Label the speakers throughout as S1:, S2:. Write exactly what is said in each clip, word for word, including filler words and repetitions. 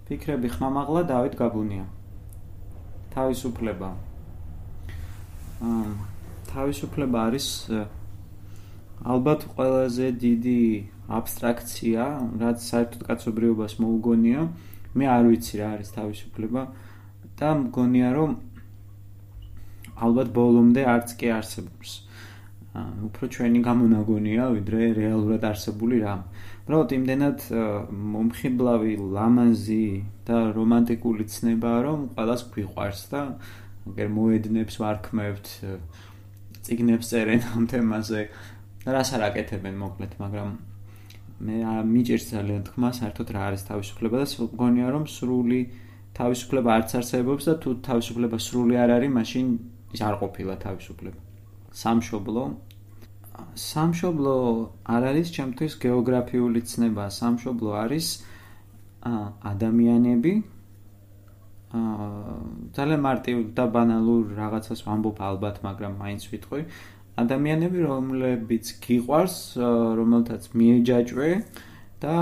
S1: ფიქრები ხმამაღლა დავით გაბუნია. თავისუფლება. აა თავისუფლება არის ალბათ ყველაზე დიდი აბსტრაქცია, რაც საერთოდ კაცობრიობას მოუგონია. მე არ ვიცი რა არის თავისუფლება და მგონია რომ ალბათ ბოლომდე არც კი არსებობს. უფრო ჩვენი გამონაგონია, ვიდრე რეალურად არსებული რამ. უბრალოდ იმდენად მომხიბლავი, ლამაზი და რომანტიკული ცნებაა, რომ ყველას გვიყვარს და აგერ მოედნებს ვარქმევთ, წიგნებს წერენ ამ თემაზე. რას არ აკეთებენ მოკლედ, მაგრამ მე მიჭირს ძალიან თქმა, საერთოდ რა არის თავისუფლება და მგონია რომ სრული თავისუფლება არც არსებობს და თუ თავისუფლება სრული არ არის, მაშინ ის არ ყოფილა თავისუფლება. სამშობლო სამშობლო არ არის ჩემთვის გეოგრაფიული ცნება, სამშობლო არის ადამიანები. ძალიან მარტივ და ბანალურ რაღაცას ვამბობ ალბათ, მაგრამ მაინც ვიტყვი. ადამიანები, რომლებიც გიყვარს, რომელთაც მიეჯაჭვე და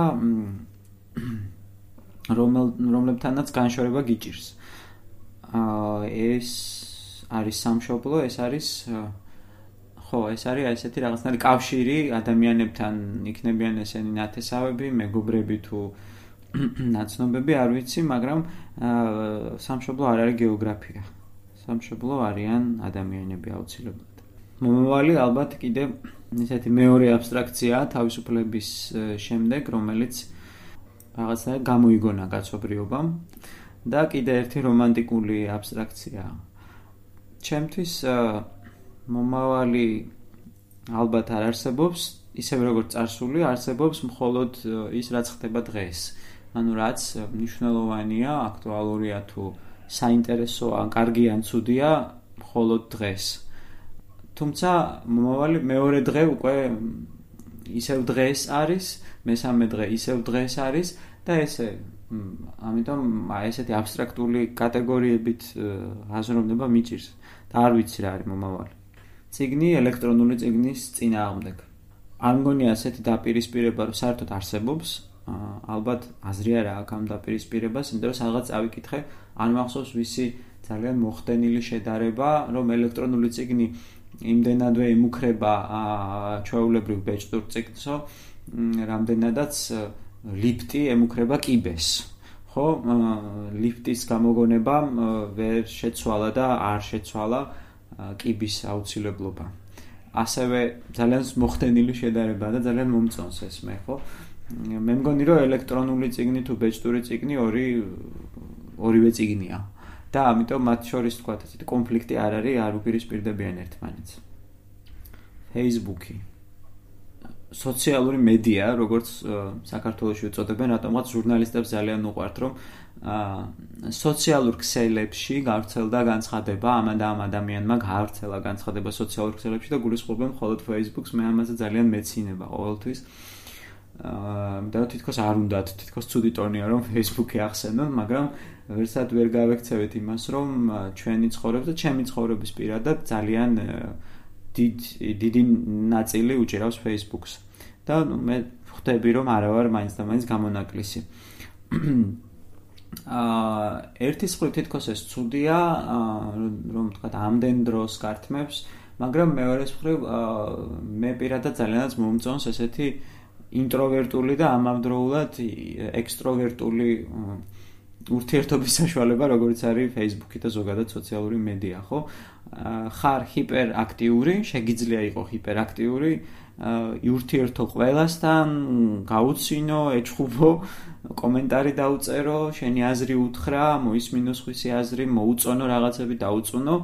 S1: რომლებთანაც განშორება გიჭირს. ეს არის სამშობლო, ეს არის ხო, ეს არის ესეთი რაღაცნაირი კავშირი ადამიანებთან, იქნებიან ესენი ნათესავები, მეგობრები თუ ნაცნობები, არ ვიცი, მაგრამ სამშობლო არ არის გეოგრაფია. სამშობლო არიან ადამიანები აუცილებლად. მომავალი ალბათ კიდე ესეთი მეორე აბსტრაქცია თავისუფლების შემდეგ, რომელიც რაღაცნაირად გამოიგონა კაცობრიობამ და კიდე ერთი რომანტიკული აბსტრაქცია. ჩემთვის მომავალი ალბათ არ არსებობს, ისევ როგორც წარსული არსებობს მხოლოდ ის, რაც ხდება დღეს. ანუ რაც მნიშვნელოვანია, აქტუალურია თუ საინტერესოა, კარგი ან ცუდია, მხოლოდ დღეს. თუმცა მომავალი მეორე დღე უკვე ისევ დღეს არის, მესამე დღე ისევ დღეს არის და ესე ამიტომ ესეთი აბსტრაქტული კატეგორიებით აზროვნება მიჭირს და არ ვიცი რა არის მომავალი. წიგნი ელექტრონული წიგნის წინააღმდეგ. არ მგონია ასეთი დაპირისპირება რომ საერთოდ არსებობს. ალბათ აზრი არა აქვს ამ დაპირისპირებას, იმიტომ რომ სადღაც წავიკითხე, არ მახსოვს ვისი ძალიან მოხდენილი შედარება, რომ ელექტრონული წიგნი იმდენადვე ემუქრება ჩვეულებრივ ბეჭდურ წიგნსო, რამდენადაც ლიფტი ემუქრება კიბეს. ხო, ლიფტის გამოგონებამ ვერ შეცვალა და არ შეცვალა კიბის აუცილებლობა. ასევე ძალიან მოხდენილი შედარება და ძალიან მომწონს ეს მე, ხო? მე მგონი რომ ელექტრონული წიგნი თუ ბეჭდური წიგნი ორი ორივე წიგნია. და ამიტომ მათ შორის თქვა ესეთი კონფლიქტი არ არის, არ უპირისპირდებიან ერთმანეთს. Facebook-ი. სოციალური მედია, როგორც საქართველოში უწოდებენ, რატომღაც ჟურნალისტებს ძალიან უყვართ, რომ სოციალურ ქსელებში გავრცელდა განცხადება, ამა და ამ ადამიანმა გავრცელა განცხადება სოციალურ ქსელებში და გულისხმობენ მხოლოდ Facebook-ს, მე ამაზე ძალიან მეცინება ყოველთვის. და თითქოს არ უნდათ, თითქოს ცუდი ტონია რომ Facebook-ი ახსენონ, მაგრამ ვერცად ვერ გავექცევით იმას, რომ ჩვენი ცხოვრება და ჩემი ცხოვრების პირადად ძალიან დიდი ნაწილი უჭირავს Facebook-ს. და მე ხვდები რომ არა ვარ მაინც და მაინც გამონაკლისი. აა ერთი მხრივ თითქოს ეს ცუდია, რომ თქვა ამდენ დროს გართმევს, მაგრამ მეორე მხრივ მე პირადად ძალიანაც მომწონს ესეთი ინტროვერტული და ამავდროულად ექსტროვერტული ურთიერთობის საშუალება, როგორც არის Facebook-ი და ზოგადად სოციალური მედია, ხო? ხარ ჰიპერაქტიური, შეგიძლია იყოს ჰიპერაქტიური, ურთიერთო ყველასთან, გაუცინო, ეჩხუბო, კომენტარი დაუწერო, შენი აზრი უთხრა, მოისმინო სხვისი აზრი, მოუწონო რაღაცები დაუწუნო,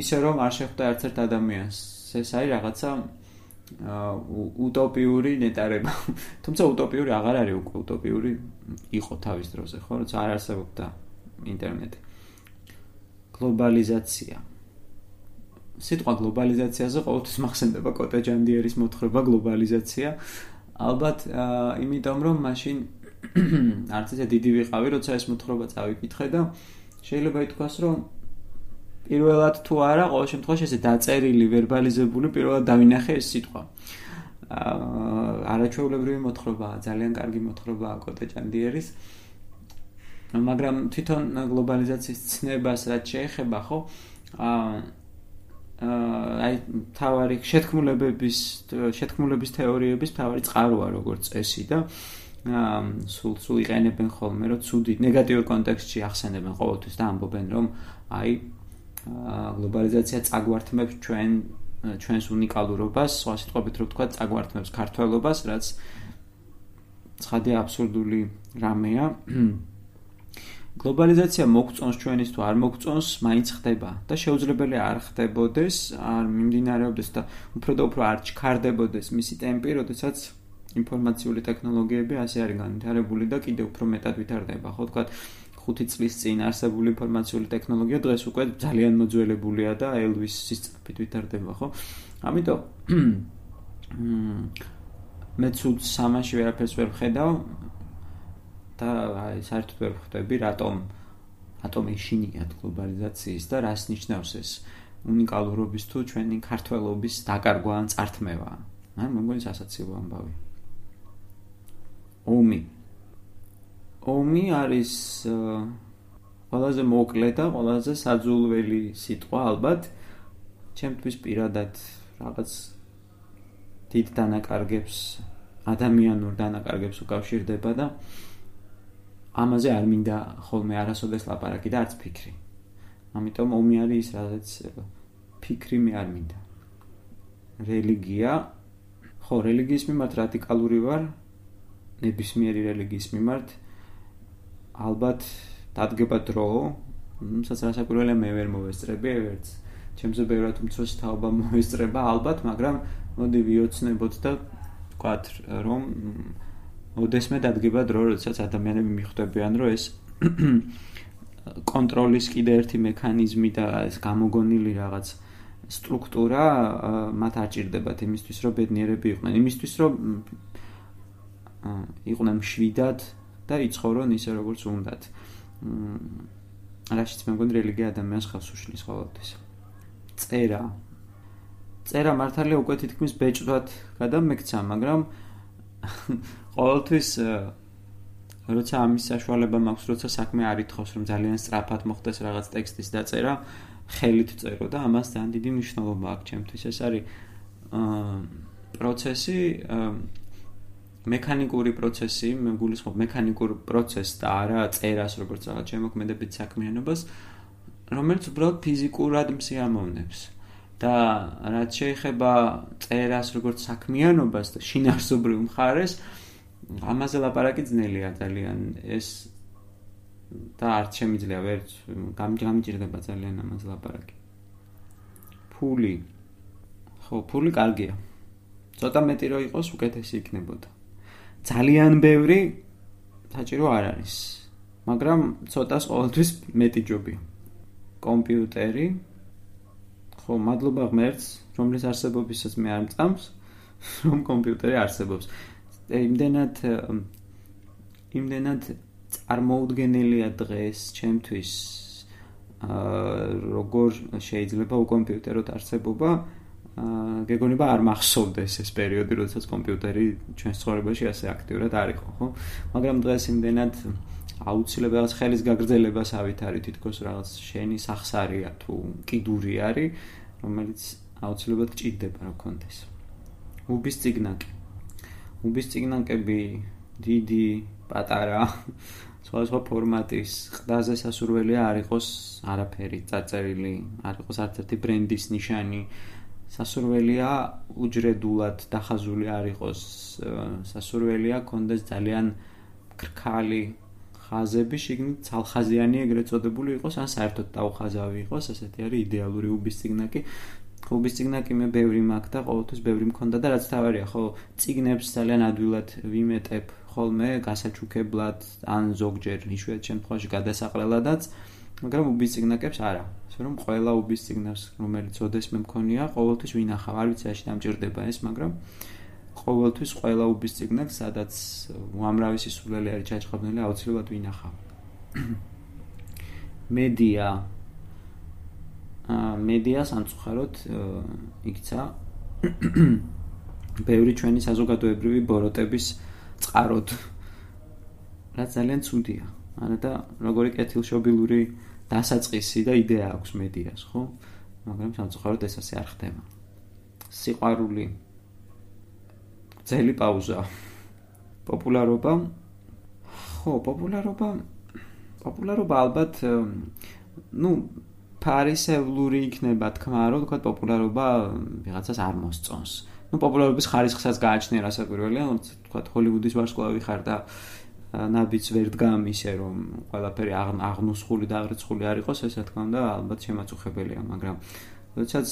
S1: ისე რომ არ შეხვდა არც ერთ ადამიანს. ეს არის რაღაცა უტოპიური ნეტარება. თუმცა უტოპიური აღარ არის უკვე უტოპიური იყო თავის დროზე, ხო? როცა არ არსებობდა ინტერნეტი. გლობალიზაცია. სიტყვა გლობალიზაციაზე ყოველთვის მახსენდება კოტე ჯანდიერის მოთხრობა გლობალიზაცია. ალბათ იმიტომ რომ მაშინ არც ისე დიდი ვიყავი, როცა ეს მოთხრობა წავიკითხე და შეიძლება ითქვას, რომ პირველად თუ არა, ყოველ შემთხვევაში ესე დაწერილი, ვერბალიზებული პირველად დავინახე ეს სიტყვა. არაჩვეულებრივი მოთხრობაა, ძალიან კარგი მოთხრობაა კოტე ჯანდიერის. მაგრამ თვითონ გლობალიზაციის ცნებას რაც შეეხება, ხო? აა აი თავარი შეთქმულებების შეთქმულების თეორიების თავარი წყაროა როგორც წესი და სულ სულ იყენებენ ხოლმე რომ ცუდი ნეგატიურ კონტექსტში ახსენებენ ყოველთვის და ამბობენ რომ აი გლობალიზაცია წაგვართმევს ჩვენ ჩვენს უნიკალურობას, სხვა სიტყვებით რომ ვთქვა, წაგვართმევს ქართველობას, რაც ცხადია აბსურდული რამეა. გლობალიზაცია მოგწონს ჩვენის თუ არ მოგწონს, მაინც ხდება და შეუძლებელია არ ხდებოდეს, არ მიმდინარეობდეს და უფრო და უფრო არ ჩქარდებოდეს მისი ტემპი, როდესაც ინფორმაციული ტექნოლოგიები ასე არის განვითარებული და კიდევ უფრო მეტად ვითარდება. ხო ვთქვათ, ხუთი წლის წინ არსებული ინფორმაციული ტექნოლოგია დღეს უკვე ძალიან მოძველებულია და ელვის სისწრაფით ვითარდება, ხო? ამიტომ მე ცუდს სამაში ვერაფერს ვერ ვხედავ და აი საერთოდ ვერ ხვდები, რატომ რატომ ეშინიათ გლობალიზაციის და რას ნიშნავს ეს უნიკალურობის თუ ჩვენი ქართველობის დაკარგვა ან წართმევა. ან მე მგონი სასაცილო ამბავი. ომი ომი არის ყველაზე მოკლე და ყველაზე საძულველი სიტყვა ალბათ. ჩემთვის პირადად რაღაც დიდ დანაკარგებს, ადამიანურ დანაკარგებს უკავშირდება და ამაზე არ მინდა ხოლმე არასოდეს ლაპარაკი და არც ფიქრი. ამიტომ ომი არის ის, რაც ფიქრი მე არ მინდა. რელიგია, ხო, რელიგიის მიმართ რადიკალური ვარ, ნებისმიერი რელიგიის მიმართ. ალბათ დადგება დრო, სადაც რასაკვირველია მე ვერ მოვესწრები, ვერც ჩემზე ბევრად უმცროსი თაობა მოვესწრება, ალბათ, მაგრამ მოდი ვიოცნებოთ და ვთქვათ, რომ ოდესმე დადგება დრო, როდესაც ადამიანები მიხვდებიან, რომ ეს კონტროლის კიდე ერთი მექანიზმი და ეს გამოგონილი რაღაც სტრუქტურა მათ არ ჭირდებათ იმისთვის, რომ ბედნიერები იყვნენ, იმისთვის, რომ იყვნენ მშვიდად და იცხოვრონ ისე, როგორც უნდათ. რაშიც მე მგონი რელიგია ადამიანს ხავს უშლის ყოველთვის. წერა. წერა მართალია უკვე თითქმის ბეჭდვად გადამექცა, მაგრამ ყოველთვის როცა ამის საშუალება მაქვს, როცა საქმე არ ითხოვს, რომ ძალიან სწრაფად მოხდეს რაღაც ტექსტის დაწერა, ხელით წერო და ამას ძალიან დიდი მნიშვნელობა აქვს ჩემთვის. ეს არის პროცესი, მექანიკური პროცესი, მე გულისხმობ მექანიკურ პროცესს და არა წერას, როგორც რაღაც შემოქმედებით საქმიანობას, რომელიც უბრალოდ ფიზიკურად მსიამოვნებს. და რაც შეეხება წერას როგორც საქმიანობას და შინაარსობრივ მხარეს, ამაზე ლაპარაკი ძნელია ძალიან. ეს და არც შემიძლია ვერც გამიჭირდება ძალიან ამაზე ლაპარაკი. ფული. ხო, ფული კარგია. ცოტა მეტი რო იყოს, უკეთესი იქნებოდა. ძალიან ბევრი საჭირო არ არის. მაგრამ ცოტას ყოველთვის მეტი ჯობია. კომპიუტერი. ხო, მადლობა ღმერთს, რომლის არსებობისაც მე არ მწამს, რომ კომპიუტერი არსებობს. იმდენად იმდენად წარმოუდგენელია დღეს ჩემთვის როგორ შეიძლება უკომპიუტეროთ არსებობა, გეგონება არ მახსოვდეს ეს პერიოდი, როდესაც კომპიუტერი ჩვენს ცხოვრებაში ასე აქტიურად არ იყო, ხო? მაგრამ დღეს იმდენად აუცილებლად რაღაც ხელის გაგრძელებას ავითარი, თითქოს რაღაც შენი სახსარია თუ კიდური არის, რომელიც აუცილებლად გჭირდება რა გქონდეს. უბის წიგნაკი. უბის წიგნაკები დიდი, პატარა, სხვადასხვა ფორმატის, ყდაზე სასურველია არ იყოს არაფერი წაწერილი, არ იყოს არც ერთი ბრენდის ნიშანი. სასურველია უჯრედულად დახაზული არ იყოს, სასურველია კონდეს ძალიან ქრქალი ხაზები, შიგნით ცალხაზიანი ეგრეთ წოდებული იყოს, ან საერთოდ დაუხაზავი იყოს, ესეთი არის იდეალური უბის წიგნაკი. უბის წიგნაკი მე ბევრი მაქვს და ყოველთვის ბევრი მქონდა და რაც თავარია, ხო, წიგნებს ძალიან ადვილად ვიმეტებ ხოლმე გასაჩუქებლად, ან ზოგჯერ იშვიათ შემთხვევაში გადასაყრელადაც, მაგრამ უბის წიგნაკებს არა. ასე რომ ყველა უბის წიგნას, რომელიც ოდესმე მქონია, ყოველთვის ვინახავ. არ ვიცი რაში დამჭირდება ეს, მაგრამ ყოველთვის ყველა უბის წიგნაკს, სადაც უამრავი სისულელი არის ჩაჭყობნილი, აუცილებლად ვინახავ. მედია. აა მედია სამწუხაროდ იქცა ბევრი ჩვენი საზოგადოებრივი ბოროტების წყაროდ. რაც ძალიან ცუდია. არა და როგორი კეთილშობილური დასაწყისი და იდეა აქვს მედიას, ხო? მაგრამ სამწუხაროდ ეს ასე არ ხდება. სიყვარული, ძელი პაუზა. პოპულარობა? ხო, პოპულარობა, პოპულარობა ალბათ, ну, ფარისევლური იქნება თქმა, რომ თქვა პოპულარობა ვიღაცას არ მოსწონს. ну, პოპულარობის ხარისხსაც გააჩნია რასაკვირველია, თქვა ჰოლივუდის ვარსკვლავი ხარ და ნაბიც ვერ დგამ ისე რომ ყველაფერი აღნუსხული და აღრიცხული არ იყოს, ეს რა თქმა უნდა ალბათ შემაწუხებელია, მაგრამ როდესაც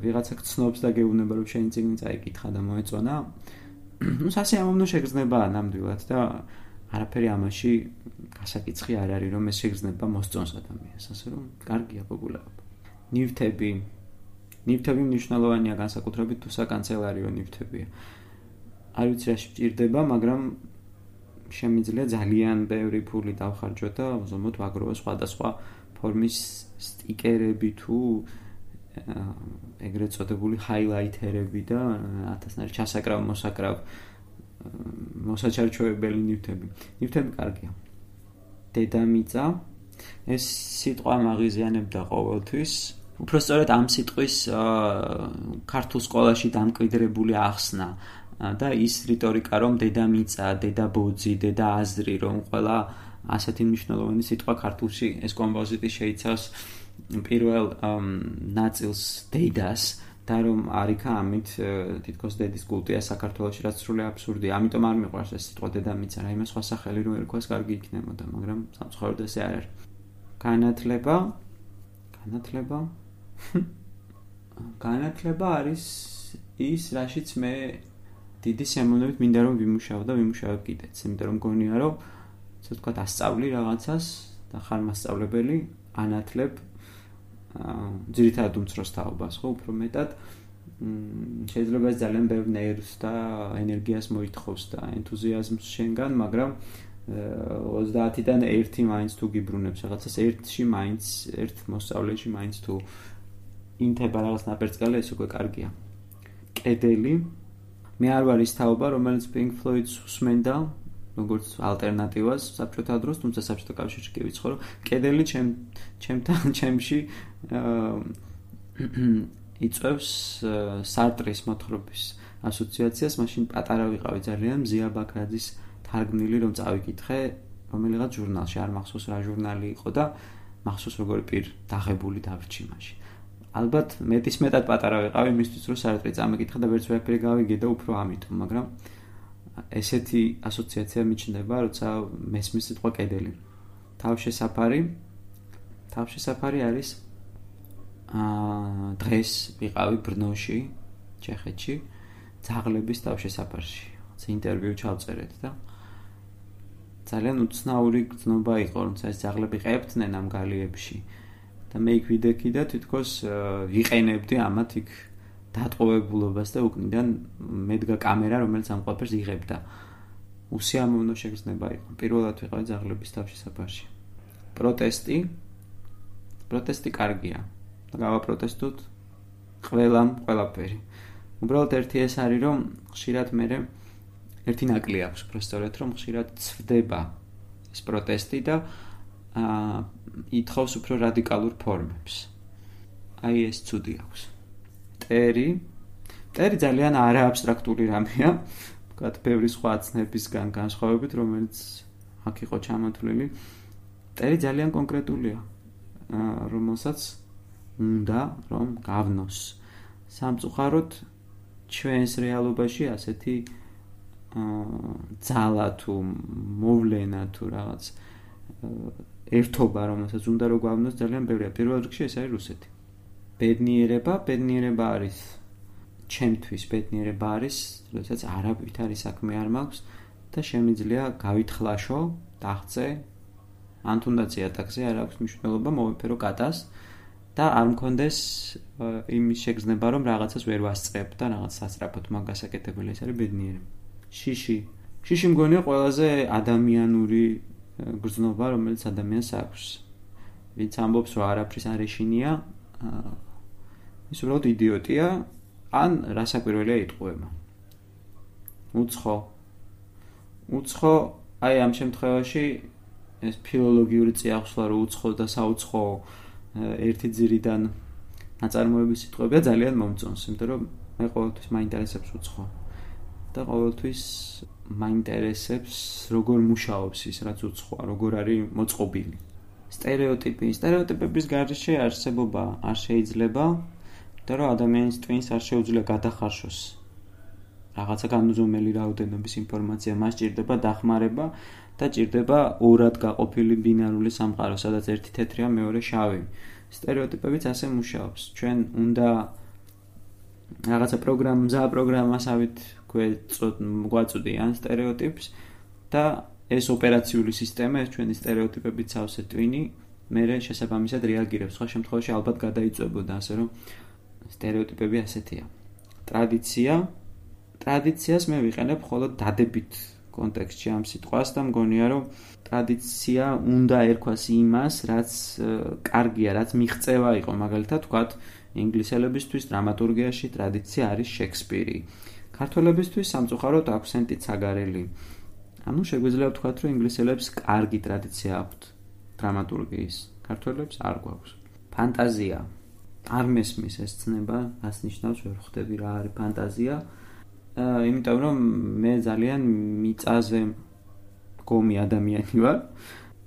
S1: ვიღაცა გცნობს და გეუბნება რომ შენი წიგნი წაიკითხა და მოეწონა, ну, სასიამოვნო შეგრძნებაა ნამდვილად და არაფერი ამაში გასაკიცხი არ არის რომ ეს შეგრძნება მოსწონს ადამიანს, ასე რომ კარგია პოპულარობა. ნივთები ნივთები მნიშვნელოვანია განსაკუთრებით თუ საკანცელერიო ნივთებია. არ ვიცი რა შეჭირდება, მაგრამ შემიძლია ძალიან ბევრი ფული დავხარჯო და უზომოდ ვაგროვო სხვადასხვა ფორმის სტიკერები თუ ეგრეთ წოდებული ჰაილაითერები და ათასნაირი ჩასაკრავ მოსაკრავ მოსაჩარჩოებელი ნივთები. ნივთები კარგია. დედამიწა ეს სიტყვა მაღიზიანებდა ყოველთვის. უფრო სწორედ ამ სიტყვის ქართულ სკოლაში დამკვიდრებული ახსნა და ის რიტორიკა რომ დედამიწა, დედაბოძი, დედააზრი რომ ყველა ასეთი მნიშვნელოვანი სიტყვა ქართულში ეს კომპოზიტი შეიცავს პირველ ნაწილს დედას და რომ არიქა ამით თითქოს დედის კულტია საქართველოში რაც სრული აბსურდია. ამიტომ არ მიყვარს ეს სიტყვა დედამიწა, რაიმე სხვა სახელი რო ერქვას კარგი იქნებოდა, მაგრამ სამწუხაროდ ესე არ არის. განათლება, განათლება განათლება არის ის, რაშიც მე დიდი სიამოვნებით მინდა რომ ვიმუშაო და ვიმუშავებ კიდეც, იმიტომ რომ მგონია რომ ასე ვთქვათ ასწავლი რაღაცას და ხარ მასწავლებელი, ანათლებ ძირითადად უმცროს თაობას, ხო, უფრო მეტად შეიძლება ეს ძალიან ბევრ ნერვს და ენერგიას მოითხოვს და ენთუზიაზმს შენგან, მაგრამ ოცდაათიდან ერთი მაინც თუ გიბრუნებს რაღაცას, ერთში მაინც, ერთ მოსწავლეში მაინც თუ ინთება რაღაც ნაპერწკალი, ეს უკვე კარგია. კედელი მე არ ვარ ის თაობა, რომელიც Pink Floyd-ს უსმენდა, როგორც ალტერნატივას საბჭოთა დროს, თუმცა საბჭოთა კავშირში კი ვიცხოვრო. კედელი ჩემ ჩემთან ჩემში იწვევს სარტრის მოთხრობის ასოციაციას, მაშინ პატარა ვიყავი ძალიან, მზია ბაქრაძის თარგმნილი რომ წავიკითხე, რომელიღაც ჟურნალში, არ მახსოვს რა ჟურნალი იყო და მახსოვს როგორი პირ დაღებული დავრჩი მაშინ. ალბათ მეტის მეტად პატარა ვიყავი იმისთვის რომ სარტრი წამეკითხა და ვერც ვერაფერი გავიგე და უფრო ამიტომ, მაგრამ ესეთი ასოციაცია მიჩნდება, როცა მესმის სიტყვა კედელი. თავშესაფარი. თავშესაფარი არის აა დღეს ვიყავი ბრნოში, ჩეხეთში, ძაღლების თავშესაფარში. ეს ინტერვიუ ჩავწერეთ და ძალიან უცნაური გრძნობა იყო, როცა ეს ძაღლები ყებდნენ ამ გალიებში. და მე იქ ვიდექი და თითქოს ვიყენებდი ამათ იქ დატყვევებულობას და უკნიდან მედგა კამერა, რომელიც ამ ყველაფერს იღებდა. უსიამოვნო შეგრძნება იყო. პირველად ვიყავი ძაღლების თავშესაფარში. პროტესტი. პროტესტი კარგია. და გავაპროტესტოთ ყველამ ყველაფერი. უბრალოდ ერთი ეს არის, რომ ხშირად მე ერთი ნაკლი აქვს, პროსტორეთ, რომ ხშირად ცვდება ეს პროტესტი და აა ითხოვს უფრო რადიკალურ ფორმებს. აი ეს ცუდი აქვს. ტერი. ტერი ძალიან არააბსტრაქტული რამეა, ვთქვათ, ბევრი სხვა ცნებისგან განსხვავებით, რომელიც აქ იყო ჩამოთვლილი. ტერი ძალიან კონკრეტულია, რომელსაც უნდა რომ გავნოს. სამწუხაროდ ჩვენს რეალობაში ასეთი ძალა თუ მოვლენა თუ რაღაც ერთობა, რომელსაც უნდა რომ გვავნოს ძალიან ბევრია. პირველ რიგში ეს არის რუსეთი. ბედნიერება, ბედნიერება არის ჩემთვის ბედნიერება არის, როდესაც არაფერი საქმე არ მაქვს და შემიძლია გავითხლაშო, დაღწე, ან თუნდაც იატაკზე არ აქვს მნიშვნელობა, მოვიფერო კატას და არ მქონდეს იმის შეგრძნება, რომ რაღაცას ვერ ვასწრებ და რაღაც სასწრაფოდ მაგ გასაკეთებელი, ეს არის ბედნიერება. შიში. შიში მგონია ყველაზე ადამიანური გრძნობა, რომელიც ადამიანს აქვს. ვინც ამბობს, რომ არაფრის არ ეშინია, ის უბრალოდ იდიოტია, ან რასაკვირველია იტყუება. უცხო. უცხო, აი ამ შემთხვევაში ეს ფილოლოგიური წიაღსვლა რო უცხო და საუცხო ერთი ძირიდან ნაწარმოების სიტყვებია ძალიან მომწონს, იმიტომ რომ მე ყოველთვის მაინტერესებს უცხო და ყოველთვის მაინტერესებს როგორ მუშაობს ის რაც უცხოა, როგორ არის მოწყობილი. სტერეოტიპი, სტერეოტიპების გარეშე არსებობა არ შეიძლება, იმიტომ რომ ადამიანის ტვინს არ შეუძლია გადახარშოს რაღაცა განუზომელი რაოდენობის ინფორმაცია, მას ჭირდება დახმარება და ჭირდება ორად გაყოფილი ბინარული სამყარო, სადაც ერთი თეთრია, მეორე შავი. სტერეოტიპებიც ასე მუშაობს. ჩვენ უნდა რაღაცა პროგრამა, მზა პროგრამასავით გვაწვდიან სტერეოტიპს და ეს ოპერაციული სისტემა, ეს ჩვენი სტერეოტიპებით სავსე ტვინი, მერე შესაბამისად რეაგირებს. სხვა შემთხვევაში ალბათ გადაიწვებოდა, ასე რომ სტერეოტიპები ასეთია. ტრადიცია, ტრადიციას მე ვიყენებ მხოლოდ დადებით კონტექსტში ამ სიტყვას და მგონია რომ ტრადიცია უნდა ერქვას იმას, რაც კარგია, რაც მიღწევა იყო, მაგალითად ვთქვათ, ინგლისელებისთვის დრამატურგიაში ტრადიცია არის შექსპირი. ქართველებისთვის სამწუხაროდ აქვსენტი ცაგარელი. ანუ შეგვიძლია ვთქვათ, რომ ინგლისელებს კარგი ტრადიცია აქვთ დრამატურგიის, ქართველებს არ გვაქვს. ფანტაზია. არ მესმის ეს ცნება, რას ნიშნავს, ვერ ხვდები რა არის ფანტაზია. იმიტომ რომ მე ძალიან მიწაზე გომი ადამიანი ვარ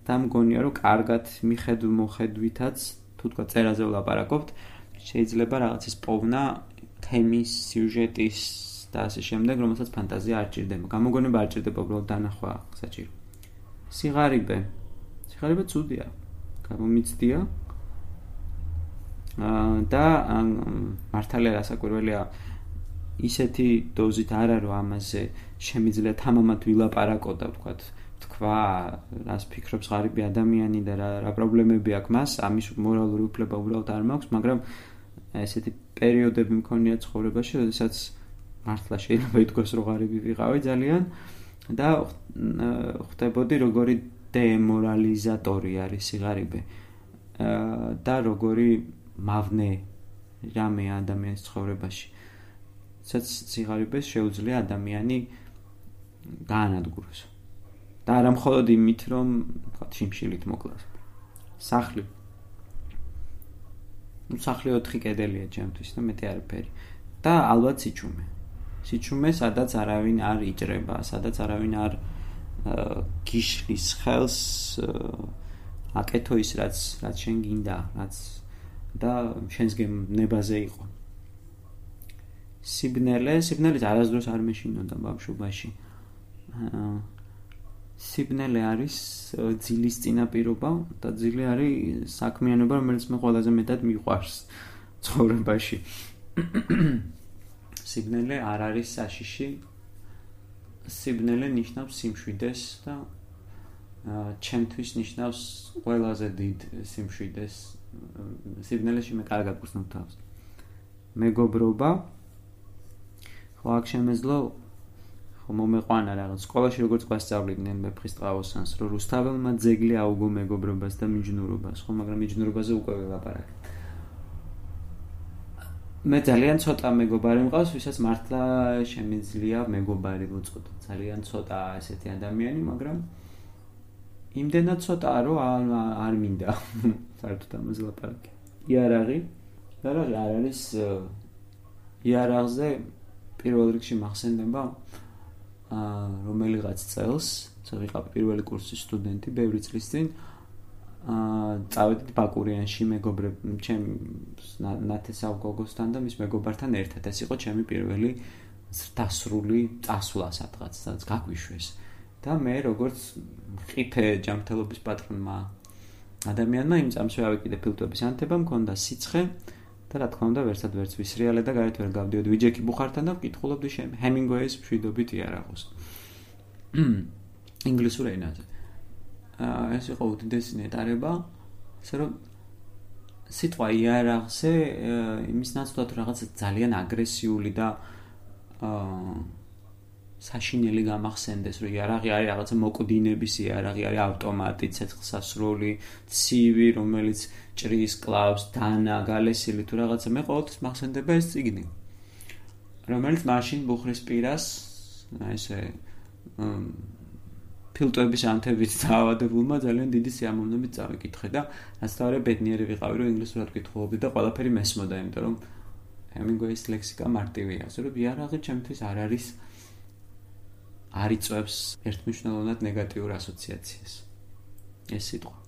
S1: და მგონია რომ კარგად მიხედვ მოხედვითაც თუ თქვა წერაზე ვლაპარაკობთ შეიძლება რაღაცის პოვნა თემის, სიუჟეტის და ასე შემდეგ, რომელსაც ფანტაზია არ ჭირდება. გამოგონება არ ჭირდება, უბრალოდ დანახვა საჭირო. სიღარიბე. სიღარიბე ცუდია. გამომიცდია. და მართალია რასაკვირველია ისეთი დოზით არ არის, რომ ამაზე შემიძლია თამამად ვილაპარაკო და ვთქვათ, თქვა, რას ფიქრობს ღარიბი ადამიანი და რა, რა პრობლემები აქვს მას, ამის მორალური უფლება უბრალოდ არ მაქვს, მაგრამ ესეთი პერიოდები მქონია ცხოვრებაში, როდესაც მართლა შეიძლება ითქვას, რომ ღარიბი ვიყავი ძალიან და ხვდებოდი როგორი დემორალიზატორი არის სიღარიბე და როგორი მავნე რამეა ადამიანის ცხოვრებაში. სადაც სიღარიბეს შეუძლია ადამიანი გაანადგუროს. და არა მხოლოდ იმით, რომ ვთქვათ, შიმშილით მოკლას. სახლი. ნუ სახლი ოთხი კედელია ჩემთვის და მეტი არაფერი. და ალბათ სიჩუმე. სიჩუმე, სადაც არავინ არ იჭრება, სადაც არავინ არ გიშლის ხელს აკეთო ის, რაც რაც შენ გინდა, რაც და შენს გემნებაზე იყო. სიბნელე, სიბნელეც არასდროს არ მეშინოდა ბავშვობაში. სიბნელე არის ძილის წინაპირობა და ძილი არის საქმიანობა, რომელიც მე ყველაზე მეტად მიყვარს ცხოვრებაში. სიბნელე არ არის საშიში. სიბნელე ნიშნავს სიმშვიდეს და ჩემთვის ნიშნავს ყველაზე დიდ სიმშვიდეს. სიბნელეში მე კარგად გრძნობ თავს. მეგობრობა. ხო, აქ შემეძლო ხო მომეყვანა რაღაც. სკოლაში როგორც გვასწავლიდნენ მეფხისტყაოსანს, რომ რუსთაველმა ძეგლი აუგო მეგობრობას და მიჯნურობას, ხო, მაგრამ მიჯნურობაზე უკვე ველაპარაკე. მე ძალიან ცოტა მეგობარი მყავს, ვისაც მართლა შემიძლია მეგობარი ვუწოდო. ძალიან ცოტა ესეთი ადამიანი, მაგრამ იმდენად ცოტაა, რომ არ მინდა საერთოდ ამაზე ლაპარაკი. იარაღი, იარაღი არ არის იარაღზე პირველ რიგში მახსენდება რომელიღაც წელს, ვიყავი პირველი კურსის სტუდენტი, ბევრი წლის წინ წავედით ბაკურიანში მეგობრებ, ჩემ ნათესავ გოგოსთან და მის მეგობართან ერთად. ეს იყო ჩემი პირველი დასრული წასვლა სადღაც, სადაც გაგვიშვეს. და მე როგორც ყიფე ჯანმრთელობის პატრონმა ადამიანმა იმ წამსვე ავიკიდე ფილტვების ანთება, მქონდა სიცხე და რა თქმა უნდა ვერსად ვერც ვისრიალე და გარეთ ვერ გავდიოდი ვიჯექი ბუხართან და ვკითხულობდი შენ ჰემინგუეის მშვიდობით იარაღოს. ინგლისურ ენაზე. ეს იყო უდიდესი ნეტარება, ასე რომ სიტყვა იარაღზე იმის ნაცვლად რაღაც ძალიან აგრესიული და საშინელი გამახსენდეს, რომ იარაღი არის რაღაცა მოკვდინების იარაღი, არის ავტომატი, ცეცხლსასროლი, ცივი, რომელიც ჭრის, კლავს, დანა, გალესილი თუ რაღაცა. მე ყოველთვის მახსენდება ეს წიგნი, რომელიც მაშინ ბუხრის პირას, ესე ფილტვების ანთებით დაავადებულმა ძალიან დიდი სიამოვნებით წავიკითხე და რასთავარია ბედნიერი ვიყავი, რომ ინგლისურად ვკითხულობდი და ყველაფერი მესმოდა, იმიტომ რომ ჰემინგუეის ლექსიკა მარტივია, ასე რომ იარაღი ჩემთვის არ არის არ იწვევს ერთმნიშვნელოვნად ნეგატიურ ასოციაციას. ეს სიტყვა